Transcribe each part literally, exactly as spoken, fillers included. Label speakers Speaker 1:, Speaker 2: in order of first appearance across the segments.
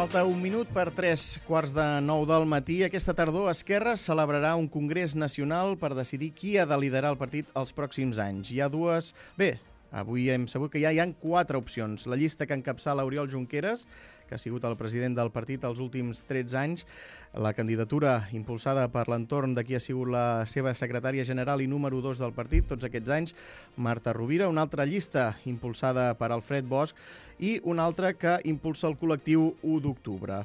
Speaker 1: Falta un minut per tres quarts de nou del matí. Aquesta tardor, Esquerra celebrarà un congrés nacional per decidir qui ha de liderar el partit els pròxims anys. Hi ha dues... Bé, avui hem sabut que ja hi ha quatre opcions. La llista que encapçala Oriol Junqueras, que ha sigut el president del partit els últims tretze anys, la candidatura impulsada per l'entorn de qui ha sigut la seva secretària general i número dos del partit tots aquests anys, Marta Rovira, una altra llista impulsada per Alfred Bosch i una altra que impulsa el col·lectiu u d'octubre.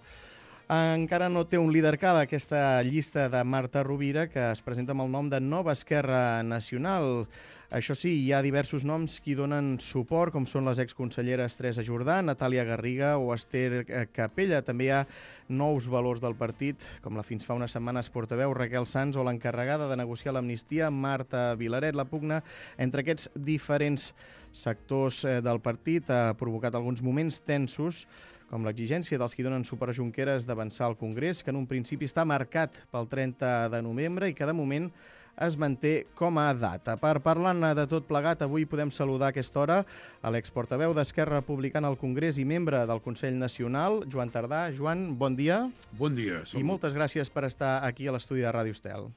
Speaker 1: Encara no té un líder cal aquesta llista de Marta Rovira, que es presenta amb el nom de Nova Esquerra Nacional. Això sí, hi ha diversos noms que hi donen suport, com són les exconselleres Teresa Jordà, Natàlia Garriga o Esther Capella. També hi ha nous valors del partit, com la fins fa unes setmanes portaveu Raquel Sans o l'encarregada de negociar l'amnistia Marta Vilaret. La pugna entre aquests diferents sectors del partit ha provocat alguns moments tensos, com l'exigència dels qui donen suport a Junqueras d'avançar al Congrés, que en un principi està marcat pel trenta de novembre i que de moment es manté com a data. Per parlar de tot plegat, avui podem saludar a aquesta hora a l'exportaveu d'Esquerra Republicana al Congrés i membre del Consell Nacional, Joan Tardà. Joan, bon dia.
Speaker 2: Bon dia.
Speaker 1: I moltes gràcies per estar aquí a l'estudi de Ràdio Estel.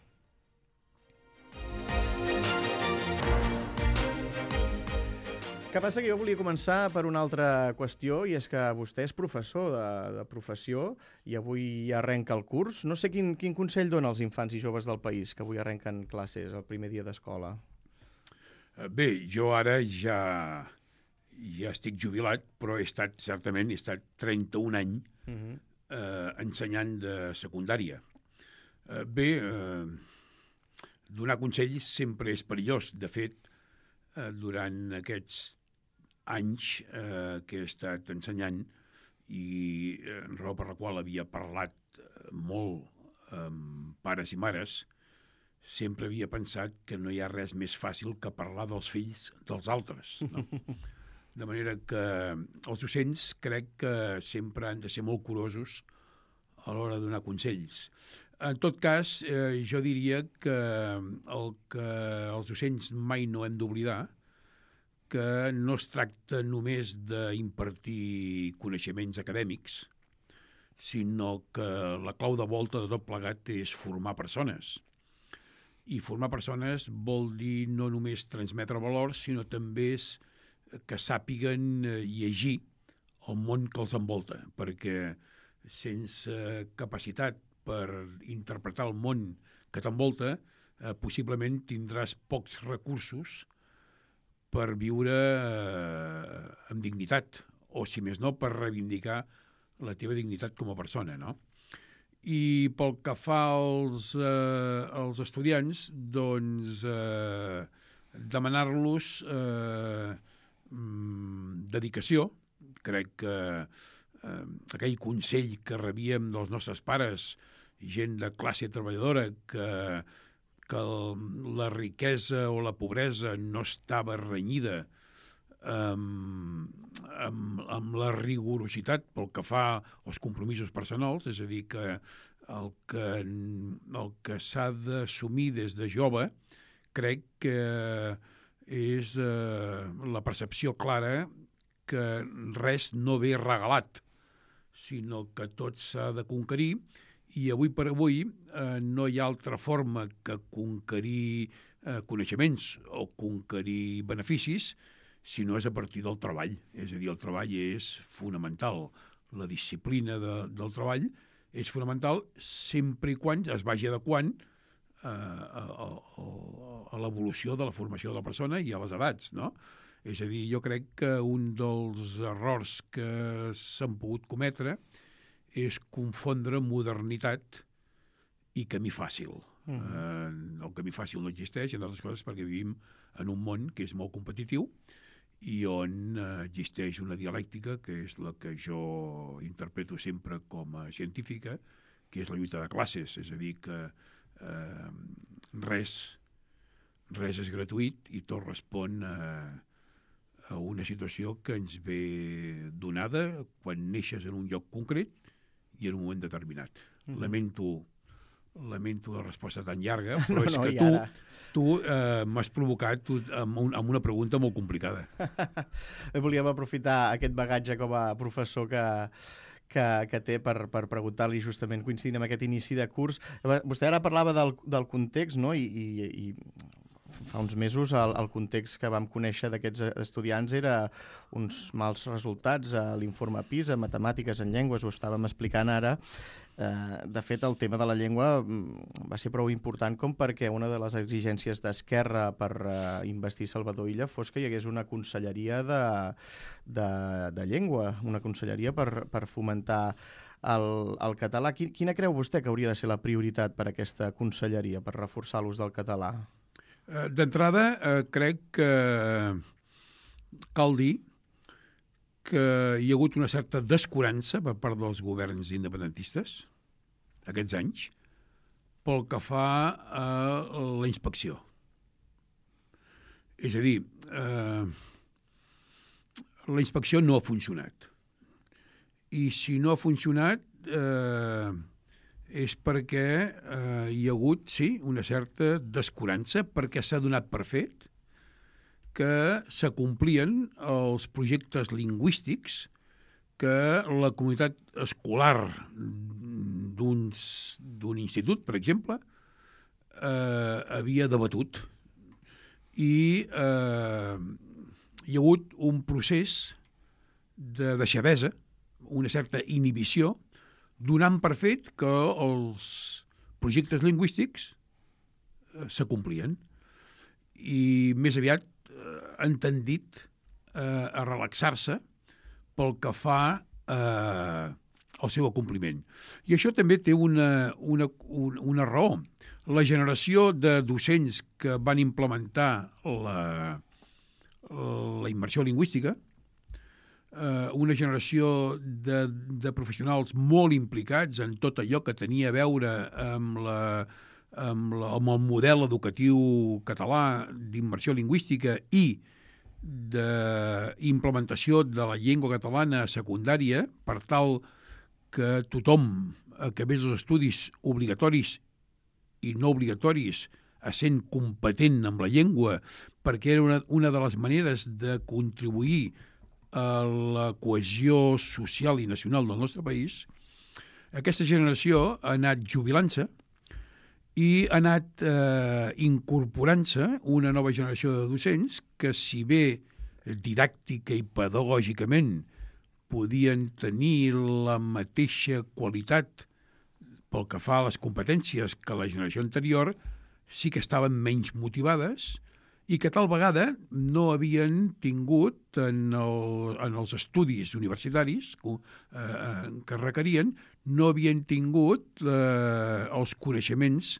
Speaker 1: Que passa que jo volia començar per una altra qüestió, i és que vostè és professor de, de professió i avui ja arrenca el curs. No sé quin, quin consell dona als infants i joves del país que avui arrenquen classes el primer dia d'escola.
Speaker 2: Bé, jo ara ja, ja estic jubilat, però he estat, certament, he estat trenta-un anys uh-huh. eh, ensenyant de secundària. Eh, bé, eh, donar consells sempre és perillós. De fet, eh, durant aquests anys eh, que he estat ensenyant i eh, raó per la qual havia parlat eh, molt amb pares i mares, sempre havia pensat que no hi ha res més fàcil que parlar dels fills dels altres. No? De manera que els docents crec que sempre han de ser molt curosos a l'hora de donar consells. En tot cas, eh, jo diria que el que els docents mai no hem d'oblidar que no es tracta només d'impartir coneixements acadèmics, sinó que la clau de volta de tot plegat és formar persones. I formar persones vol dir no només transmetre valors, sinó també és que sàpiguen llegir el món que els envolta, perquè sense capacitat per interpretar el món que t'envolta, eh, possiblement tindràs pocs recursos per viure eh, amb dignitat, o si més no, per reivindicar la teva dignitat com a persona, no? I pel que fa als, eh, als estudiants, doncs eh, demanar-los eh, dedicació. Crec que eh, aquell consell que rebíem dels nostres pares, gent de classe treballadora, que que la riquesa o la pobresa no estava renyida amb, amb, amb la rigorositat pel que fa als compromisos personals, és a dir, que el que, el que s'ha d'assumir des de jove crec que és eh, la percepció clara que res no ve regalat, sinó que tot s'ha de conquerir. I avui per avui eh, no hi ha altra forma que conquerir eh, coneixements o conquerir beneficis si no és a partir del treball. És a dir, el treball és fonamental. La disciplina de, del treball és fonamental sempre i quan es vagi adequant eh, a, a, a l'evolució de la formació de la persona i a les edats, no? És a dir, jo crec que un dels errors que s'han pogut cometre és confondre modernitat i camí fàcil. Uh-huh. Eh, el camí fàcil no existeix, entre altres coses, perquè vivim en un món que és molt competitiu i on eh, existeix una dialèctica, que és la que jo interpreto sempre com a científica, que és la lluita de classes. És a dir, que eh, res, res és gratuït i tot respon a, a una situació que ens ve donada quan neixes en un lloc concret i en un moment determinat. Mm-hmm. Lamento, lamento la resposta tan llarga, però no, és no, que tu, tu eh, m'has provocat tu, amb, un, amb una pregunta molt complicada.
Speaker 1: Volíem aprofitar aquest bagatge com a professor que, que, que té per, per preguntar-li justament coincidint amb aquest inici de curs. Vostè ara parlava del, del context, no? I, i, i fa uns mesos el, el context que vam conèixer d'aquests estudiants era uns mals resultats a l'informe PISA, matemàtiques, en llengües, ho estàvem explicant ara. De fet, el tema de la llengua va ser prou important com perquè una de les exigències d'Esquerra per investir Salvador Illa fos que hi hagués una conselleria de, de, de llengua, una conselleria per, per fomentar el, el català. Quina creu vostè que hauria de ser la prioritat per a aquesta conselleria, per reforçar l'ús del català?
Speaker 2: D'entrada, eh, crec que cal dir que hi ha hagut una certa descurança per part dels governs independentistes aquests anys pel que fa a la inspecció. És a dir, eh, la inspecció no ha funcionat. I si no ha funcionat eh, és perquè eh, hi ha hagut, sí, una certa descurança, perquè s'ha donat per fet que s'acomplien els projectes lingüístics que la comunitat escolar d'un institut, per exemple, eh, havia debatut. I eh, hi ha hagut un procés de deixadesa, una certa inhibició, donant per fet que els projectes lingüístics eh, s'acomplien. I més aviat han tendit eh, a relaxar-se pel que fa eh, al seu acompliment. I això també té una, una, una raó. La generació de docents que van implementar la, la immersió lingüística, eh, una generació de, de professionals molt implicats en tot allò que tenia a veure amb la amb, la, amb el model educatiu català d'immersió lingüística i d'implementació de la llengua catalana a secundària per tal que tothom acabés els estudis obligatoris i no obligatoris essent competent amb la llengua, perquè era una, una de les maneres de contribuir a la cohesió social i nacional del nostre país. Aquesta generació ha anat jubilant-se i ha anat eh, incorporant-se una nova generació de docents que, si bé didàctica i pedagògicament podien tenir la mateixa qualitat pel que fa a les competències que la generació anterior, sí que estaven menys motivades i que tal vegada no havien tingut en, el, en els estudis universitaris eh, que requerien, no havien tingut eh, els coneixements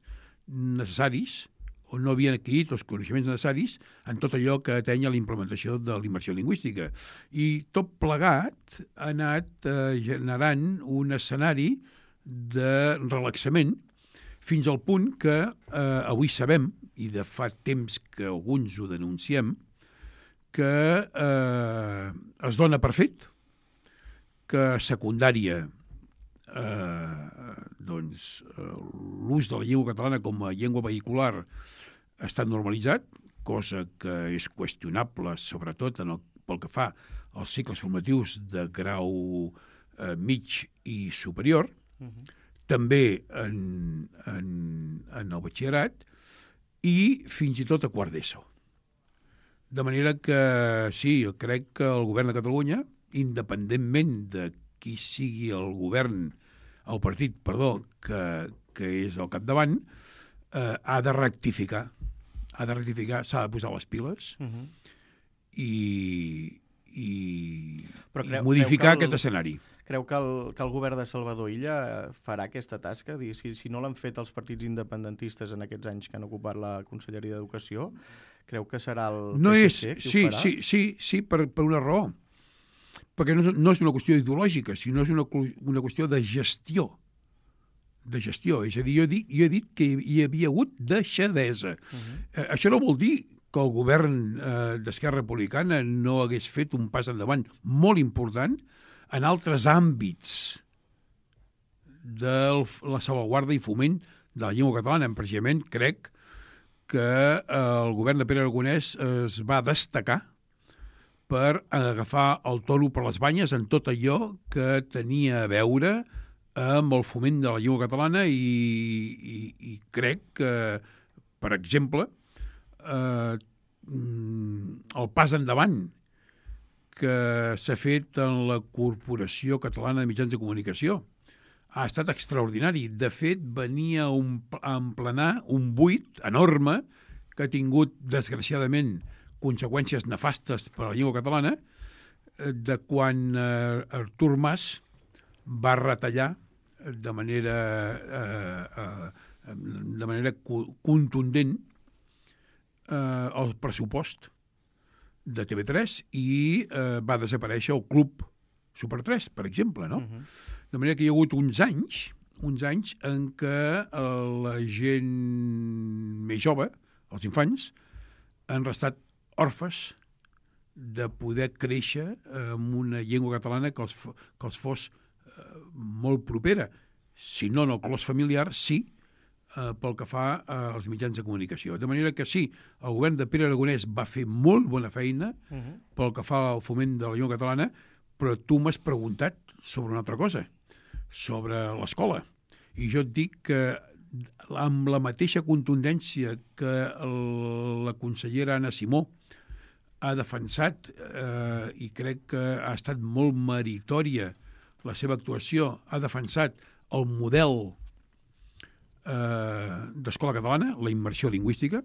Speaker 2: necessaris o no havien adquirit els coneixements necessaris en tot allò que ateny a la implementació de la immersió lingüística. I tot plegat ha anat eh, generant un escenari de relaxament fins al punt que eh, avui sabem, i de fa temps que alguns ho denunciem, que eh, es dona per fet que a secundària eh, doncs, eh, l'ús de la llengua catalana com a llengua vehicular està normalitzat, cosa que és qüestionable sobretot en el, pel que fa als cicles formatius de grau eh, mig i superior, uh-huh. També en, en, en el batxillerat i fins i tot a quart d'ESO. De manera que sí, jo crec que el govern de Catalunya, independentment de qui sigui el govern, el partit, perdó, que, que és al capdavant, eh, ha de rectificar, ha de rectificar, s'ha de posar les piles uh-huh. i, i, creu, i modificar el, aquest escenari.
Speaker 1: Creu que el, que el govern de Salvador Illa farà aquesta tasca? Si, si no l'han fet els partits independentistes en aquests anys que han ocupat la Conselleria d'Educació, creu que serà el
Speaker 2: no
Speaker 1: P S C
Speaker 2: és,
Speaker 1: qui
Speaker 2: sí,
Speaker 1: ho farà?
Speaker 2: Sí, sí, sí per, per una raó. Perquè no, no és una qüestió ideològica, sinó és una, una qüestió de gestió. De gestió. És a dir, jo he dit, jo he dit que hi havia hagut deixadesa. Uh-huh. Eh, això no vol dir que el govern eh, d'Esquerra Republicana no hagués fet un pas endavant molt important en altres àmbits de la salvaguarda i foment de la llengua catalana. Precisament crec que el govern de Pere Aragonès es va destacar per agafar el toro per les banyes en tot allò que tenia a veure amb el foment de la llengua catalana i, i, i crec que, per exemple, eh, el pas endavant que s'ha fet en la Corporació Catalana de Mitjans de Comunicació ha estat extraordinari. De fet, venia un, a emplenar un buit enorme que ha tingut, desgraciadament, conseqüències nefastes per a la llengua catalana, de quan eh, Artur Mas va retallar de manera, eh, eh, de manera contundent eh, el pressupost de T V tres i eh, va desaparèixer el Club Super tres, per exemple, no? Uh-huh. De manera que hi ha hagut uns anys, uns anys en què la gent més jove, els infants, han restat orfes de poder créixer amb una llengua catalana que els, que els fos eh, molt propera. Si no en el clos familiar, sí, eh, pel que fa als mitjans de comunicació. De manera que sí, el govern de Pere Aragonès va fer molt bona feina uh-huh. pel que fa al foment de la llengua catalana, però tu m'has preguntat sobre una altra cosa, sobre l'escola. I jo et dic que amb la mateixa contundència que el, la consellera Anna Simó ha defensat, eh, i crec que ha estat molt meritòria la seva actuació, ha defensat el model eh, d'escola catalana, la immersió lingüística,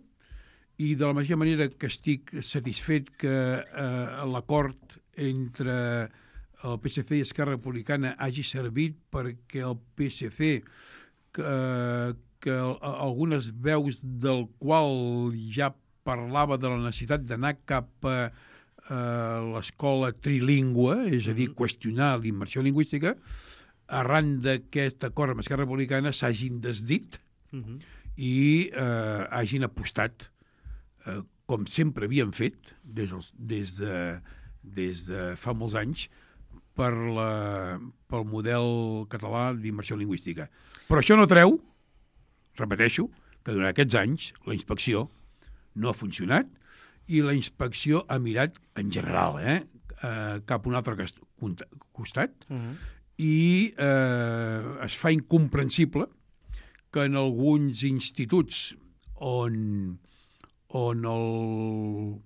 Speaker 2: i de la mateixa manera que estic satisfet que eh, l'acord entre el P S C i Esquerra Republicana hagi servit perquè el P S C, que, que algunes veus del qual ja parlava de la necessitat d'anar cap a eh, l'escola trilingüe, és a dir, qüestionar la immersió lingüística, arran d'aquest acord amb Esquerra Republicana s'hagin desdit uh-huh. i eh, hagin apostat, eh, com sempre havien fet des, dels, des, de, des de fa molts anys, per la, pel model català d'immersió lingüística. Però això no treu, repeteixo, que durant aquests anys la inspecció no ha funcionat i la inspecció ha mirat en general eh, eh, cap a un altre costat uh-huh. i eh, es fa incomprensible que en alguns instituts on, on el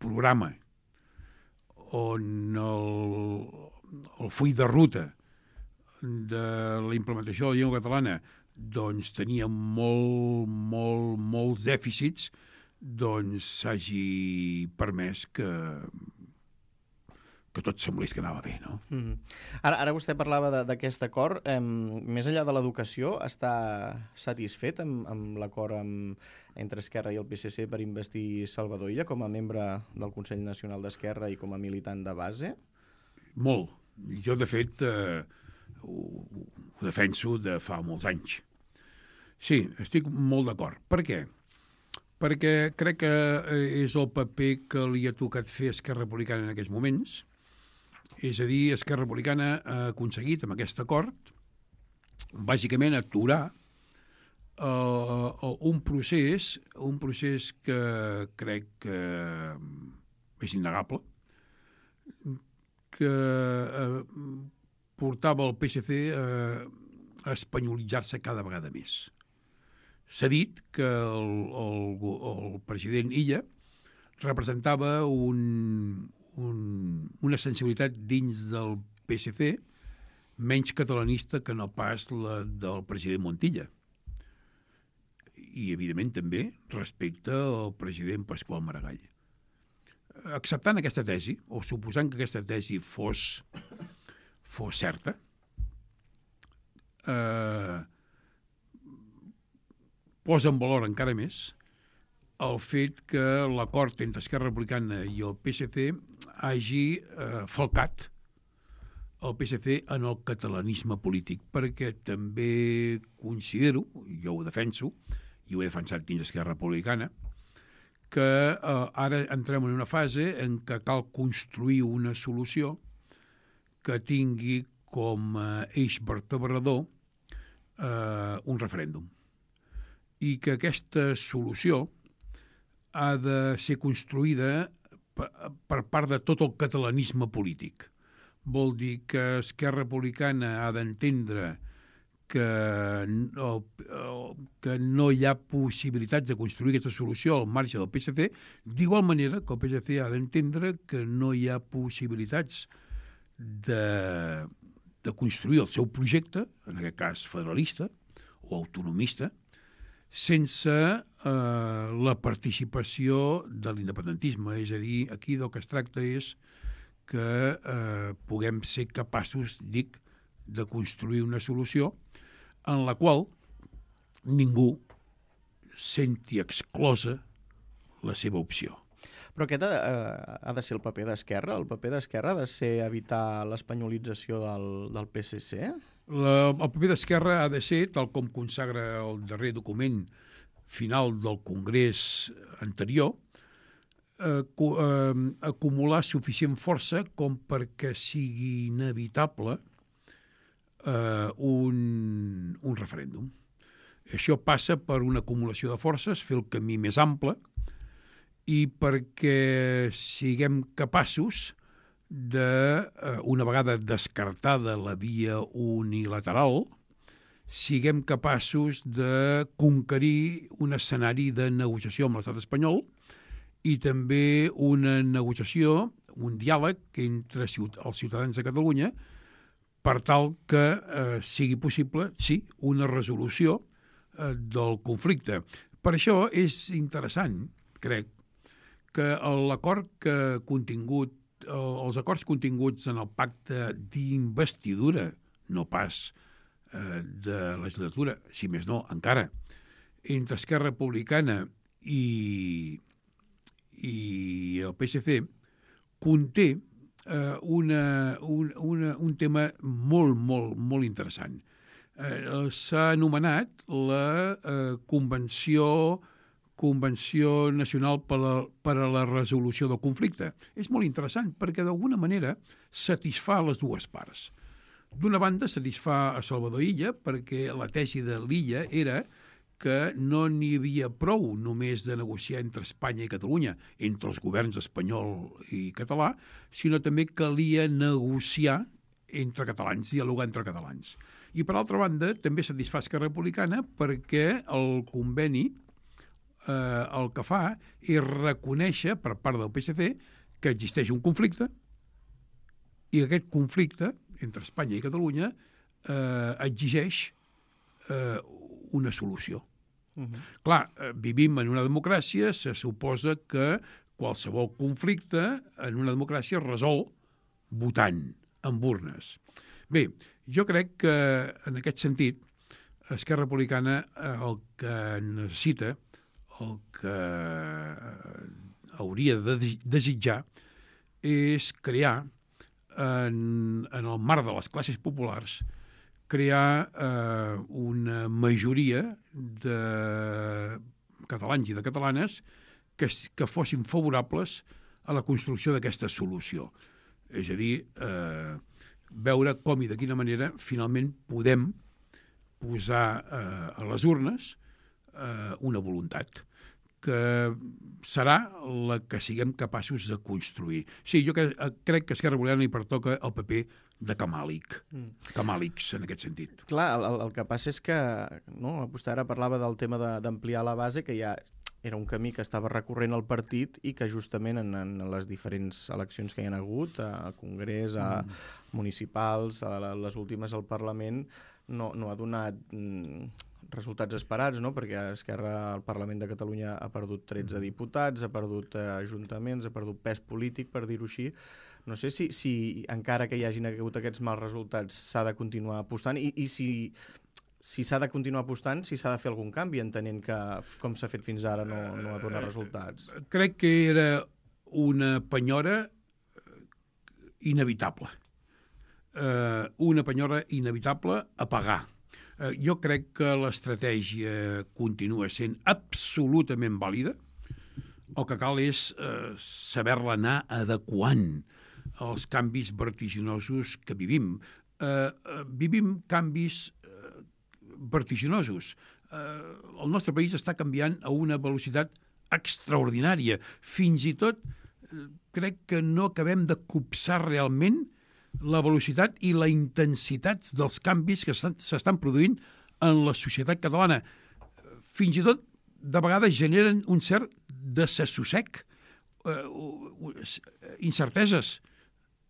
Speaker 2: programa, on el, el full de ruta de la implementació de la llengua catalana doncs tenia molt, molt, molts dèficits, doncs s'hagi permès que, que tot semblés que anava bé, no?
Speaker 1: Mm-hmm. Ara, ara vostè parlava d'aquest acord. Eh, més enllà de l'educació, està satisfet amb, amb l'acord amb, entre Esquerra i el P S C per investir Salvador Illa com a membre del Consell Nacional d'Esquerra i com a militant de base?
Speaker 2: Molt. Jo, de fet, eh, ho, ho defenso de fa molts anys. Sí, estic molt d'acord. Per què? Perquè crec que és el paper que li ha tocat fer Esquerra Republicana en aquests moments. És a dir, Esquerra Republicana ha aconseguit, amb aquest acord, bàsicament aturar uh, un procés, un procés que crec que és innegable, que uh, portava el P S C uh, a espanyolitzar-se cada vegada més. S'ha dit que el, el, el president Illa representava un, un, una sensibilitat dins del P S C menys catalanista que no pas la del president Montilla. I, evidentment, també respecte al president Pasqual Maragall. Acceptant aquesta tesi, o suposant que aquesta tesi fos, fos certa, eh, posa en valor encara més el fet que l'acord entre Esquerra Republicana i el P S C hagi eh, falcat el P S C en el catalanisme polític, perquè també considero, jo ho defenso, i ho he defensat dins Esquerra Republicana, que eh, ara entrem en una fase en què cal construir una solució que tingui com a eix vertebrador eh, un referèndum. I que aquesta solució ha de ser construïda per, per part de tot el catalanisme polític. Vol dir que Esquerra Republicana ha d'entendre que no, que no hi ha possibilitats de construir aquesta solució al marge del P S C, d'igual manera que el P S C ha d'entendre que no hi ha possibilitats de, de construir el seu projecte, en aquest cas federalista o autonomista, sense eh, la participació de l'independentisme. És a dir, aquí del que es tracta és que eh, puguem ser capaços, dic, de construir una solució en la qual ningú senti exclosa la seva opció.
Speaker 1: Però aquest ha, ha de ser el paper d'Esquerra? El paper d'Esquerra ha de ser evitar l'espanyolització del, del P S C?
Speaker 2: La, el paper d'Esquerra ha de ser, tal com consagra el darrer document final del Congrés anterior, eh, eh, acumular suficient força com perquè sigui inevitable eh, un, un referèndum. Això passa per una acumulació de forces, fer el camí més ample, i perquè siguem capaços de, una vegada descartada la via unilateral, siguem capaços de conquerir un escenari de negociació amb l'estat espanyol i també una negociació, un diàleg entre els ciutadans de Catalunya per tal que eh, sigui possible, sí, una resolució eh, del conflicte. Per això és interessant, crec, que l'acord que contingut, els acords continguts en el pacte d'investidura, no pas eh, de legislatura, si més no, encara, entre Esquerra Republicana i, i el P S C, conté eh, una, un, una, un tema molt, molt, molt interessant. Eh, s'ha anomenat la eh, Convenció Convenció Nacional per a, per a la Resolució del Conflicte. És molt interessant perquè d'alguna manera satisfà les dues parts. D'una banda, satisfà a Salvador Illa perquè la tesi de l'Illa era que no n'hi havia prou només de negociar entre Espanya i Catalunya, entre els governs espanyol i català, sinó també calia negociar entre catalans, dialogar entre catalans. I per altra banda, també satisfà Esquerra Republicana perquè el conveni Eh, el que fa és reconèixer per part del P S C que existeix un conflicte i aquest conflicte entre Espanya i Catalunya eh, exigeix eh, una solució. Uh-huh. Clar, eh, vivim en una democràcia, se suposa que qualsevol conflicte en una democràcia es resol votant amb urnes. Bé, jo crec que en aquest sentit Esquerra Republicana eh, el que necessita, el que hauria de desitjar és crear, en, en el marc de les classes populars, crear eh, una majoria de catalans i de catalanes que, que fossin favorables a la construcció d'aquesta solució. És a dir, eh, veure com i de quina manera finalment podem posar eh, a les urnes eh, una voluntat que serà la que siguem capaços de construir. Sí, jo que, crec que a Esquerra Republicana li pertoca el paper de camàlic, mm. camàlics en aquest sentit.
Speaker 1: Clar, el, el que passa és que, no, vostè ara parlava del tema d'ampliar la base, que ja era un camí que estava recorrent el partit i que justament en, en les diferents eleccions que hi ha hagut, a Congrés, a mm. municipals, a les últimes al Parlament, no, no ha donat mm, resultats esperats, no? Perquè Esquerra al Parlament de Catalunya ha perdut tretze diputats, ha perdut eh, ajuntaments, ha perdut pes polític, per dir-ho així. No sé si, si encara que hi hagin hagut aquests mals resultats s'ha de continuar apostant i, i si, si s'ha de continuar apostant, si s'ha de fer algun canvi, entenent que com s'ha fet fins ara no, no ha donat resultats.
Speaker 2: Uh, crec que era una penyora inevitable. Uh, una penyora inevitable a pagar. Uh, jo crec que l'estratègia continua sent absolutament vàlida. El que cal és uh, saber-la anar adequant als canvis vertiginosos que vivim. Uh, uh, vivim canvis uh, vertiginosos. Uh, el nostre país està canviant a una velocitat extraordinària. Fins i tot crec que no acabem de copsar realment la velocitat i la intensitat dels canvis que s'estan produint en la societat catalana. Fins i tot, de vegades, generen un cert desassossec, eh, incerteses.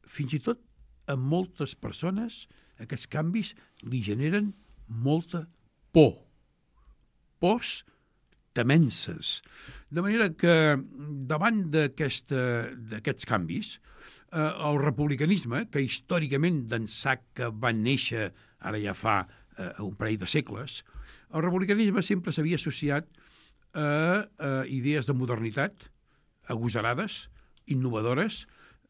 Speaker 2: Fins i tot, a moltes persones, aquests canvis li generen molta por. Pors temenses. De manera que, davant d'aquests canvis, eh, el republicanisme, que històricament d'ençà que va néixer, ara ja fa eh, un parell de segles, el republicanisme sempre s'havia associat a, a idees de modernitat, agosarades, innovadores,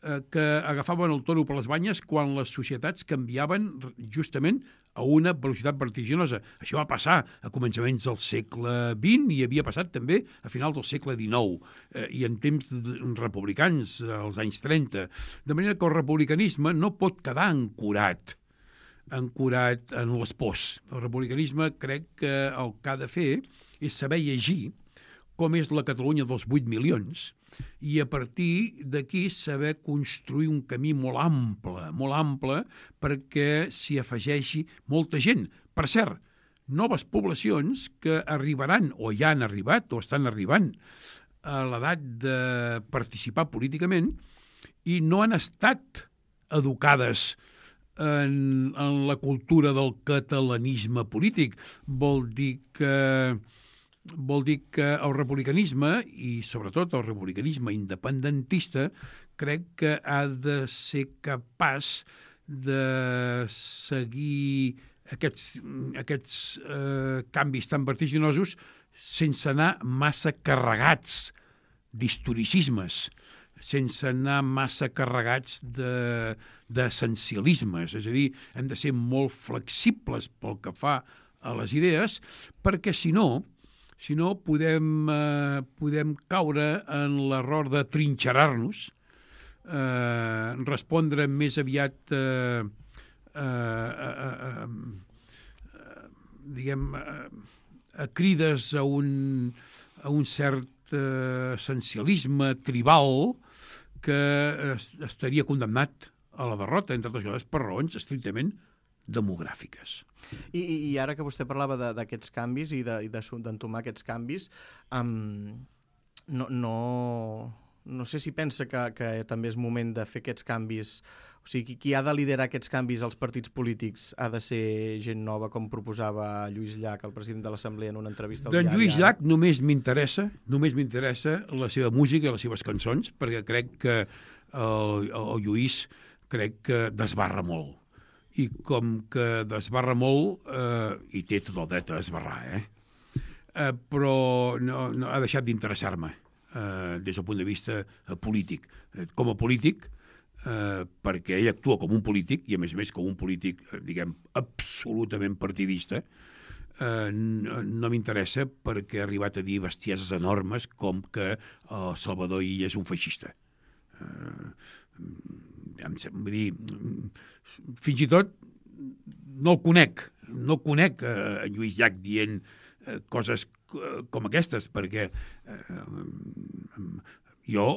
Speaker 2: eh, que agafaven el toro per les banyes quan les societats canviaven justament a una velocitat vertiginosa. Això va passar a començaments del segle vint i havia passat també a finals del segle dinou eh, i en temps republicans, als anys trenta. De manera que el republicanisme no pot quedar ancorat ancorat en les pors. El republicanisme crec que el que ha de fer és saber llegir com és la Catalunya dels vuit milions i a partir d'aquí saber construir un camí molt ample, molt ample perquè s'hi afegeixi molta gent. Per cert, noves poblacions que arribaran o ja han arribat o estan arribant a l'edat de participar políticament i no han estat educades en, en la cultura del catalanisme polític. Vol dir que vol dir que el republicanisme, i sobretot el republicanisme independentista, crec que ha de ser capaç de seguir aquests, aquests eh, canvis tan vertiginosos sense anar massa carregats d'historicismes, sense anar massa carregats de, d'essencialismes. És a dir, hem de ser molt flexibles pel que fa a les idees, perquè si no, si no podem, eh, podem caure en l'error de trinxerar-nos, eh, respondre més aviat eh, eh, eh, eh, eh, diguem, eh, a crides a un, a un cert eh, essencialisme tribal que estaria condemnat a la derrota, entre altres coses, per raons estrictament demogràfiques.
Speaker 1: I, i ara que vostè parlava d'aquests canvis i d'entomar aquests canvis, um, no, no, no sé si pensa que, que també és moment de fer aquests canvis. O sigui, qui ha de liderar aquests canvis als partits polítics ha de ser gent nova, com proposava Lluís Llach, el president de l'Assemblea, en una entrevista al
Speaker 2: diari.
Speaker 1: D'en
Speaker 2: Lluís Llach només m'interessa, només m'interessa la seva música i les seves cançons, perquè crec que el, el Lluís crec que desbarra molt. I com que desbarra molt, eh, i té tot el dret a desbarrar, eh? eh però no, no ha deixat d'interessar-me eh, des del punt de vista eh, polític. Eh, com a polític, eh, perquè ell actua com un polític, i a més a més com un polític, eh, diguem, absolutament partidista, eh, no, no m'interessa perquè ha arribat a dir bestieses enormes com que eh, Salvador Illa és un feixista. Eh, vull dir, fins i tot no el conec, no conec a Lluís Llach dient coses com aquestes, perquè jo,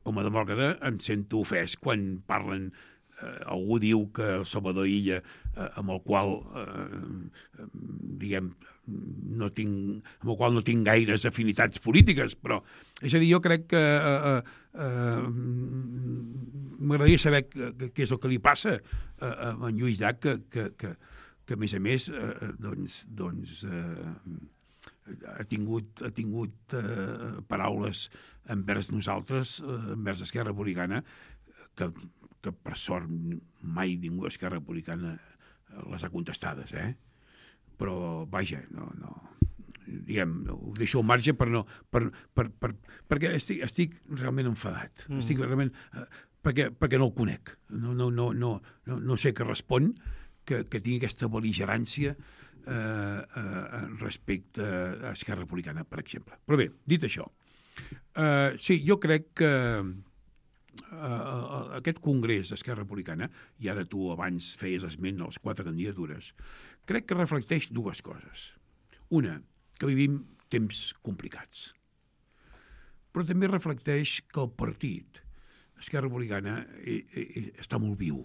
Speaker 2: com a demòcrata, em sento ofès quan parlen, algú diu que el Salvador Illa, amb el qual, diguem, no tinc, amb el qual no tinc gaires afinitats polítiques, però, és a dir, jo crec que eh, eh, m'agradaria saber què és el que li passa a, a en Lluís Llach, que, que, que, que a més a més, eh, doncs, doncs eh, ha tingut, ha tingut eh, paraules envers nosaltres, eh, envers Esquerra Republicana, que, que per sort mai ningú d'Esquerra Republicana les ha contestades, eh? Però, vaja, no, no, diguem, ho deixo al marge per no, per, per, per, perquè estic, estic realment enfadat, mm. estic realment, eh, perquè, perquè no el conec, no, no, no, no, no, no sé què respon, que, que tingui aquesta bel·ligerància eh, eh, respecte a Esquerra Republicana, per exemple. Però bé, dit això, eh, sí, jo crec que Uh, aquest congrés d'Esquerra Republicana, i ara tu abans feies esment a les quatre candidatures, crec que reflecteix dues coses. Una, que vivim temps complicats. Però però també reflecteix que el partit, Esquerra Republicana, eh, eh, està molt viu.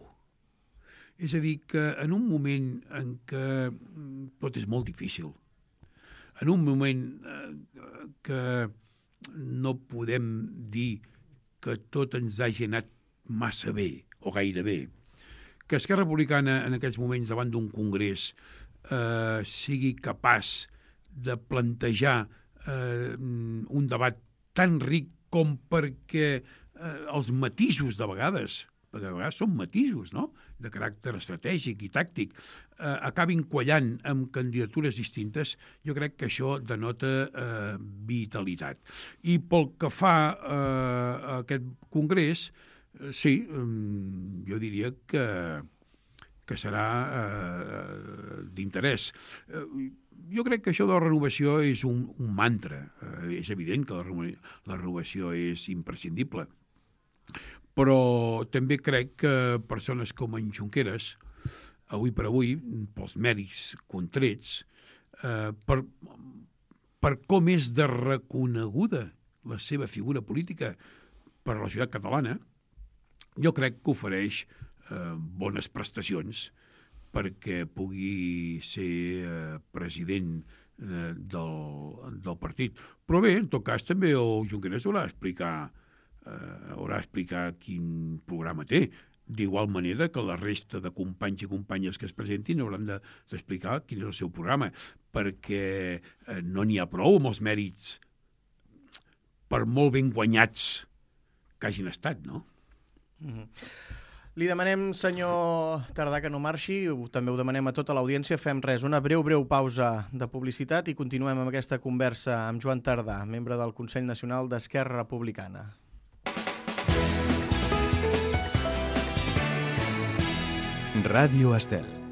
Speaker 2: És a dir, que en un moment en què tot és molt difícil, en un moment eh, que no podem dir que tot ens hagi anat massa bé, o gairebé, que Esquerra Republicana en aquests moments davant d'un congrés eh, sigui capaç de plantejar eh, un debat tan ric com perquè eh, els matisos de vegades, perquè de vegades són matisos, no?, de caràcter estratègic i tàctic, eh, acabin quallant amb candidatures distintes, jo crec que això denota eh, vitalitat. I pel que fa eh, a aquest congrés, eh, sí, eh, jo diria que, que serà eh, d'interès. Eh, jo crec que això de la renovació és un, un mantra. Eh, és evident que la, la renovació és imprescindible. Però també crec que persones com en Junqueras, avui per avui, pels mèrits contrets, eh, per, per com és de reconeguda la seva figura política per a la societat catalana, jo crec que ofereix eh, bones prestacions perquè pugui ser eh, president eh, del, del partit. Però bé, en tot cas, també el Junqueras haurà d'explicar Uh, haurà d'explicar quin programa té, d'igual manera que la resta de companys i companyes que es presentin hauran d'explicar quin és el seu programa, perquè uh, no n'hi ha prou amb els mèrits, per molt ben guanyats que hagin estat, no?
Speaker 1: Mm-hmm. Li demanem, senyor Tardà, que no marxi, també ho demanem a tota l'audiència. Fem res, una breu, breu pausa de publicitat i continuem amb aquesta conversa amb Joan Tardà, membre del Consell Nacional d'Esquerra Republicana.
Speaker 3: Ràdio Estel.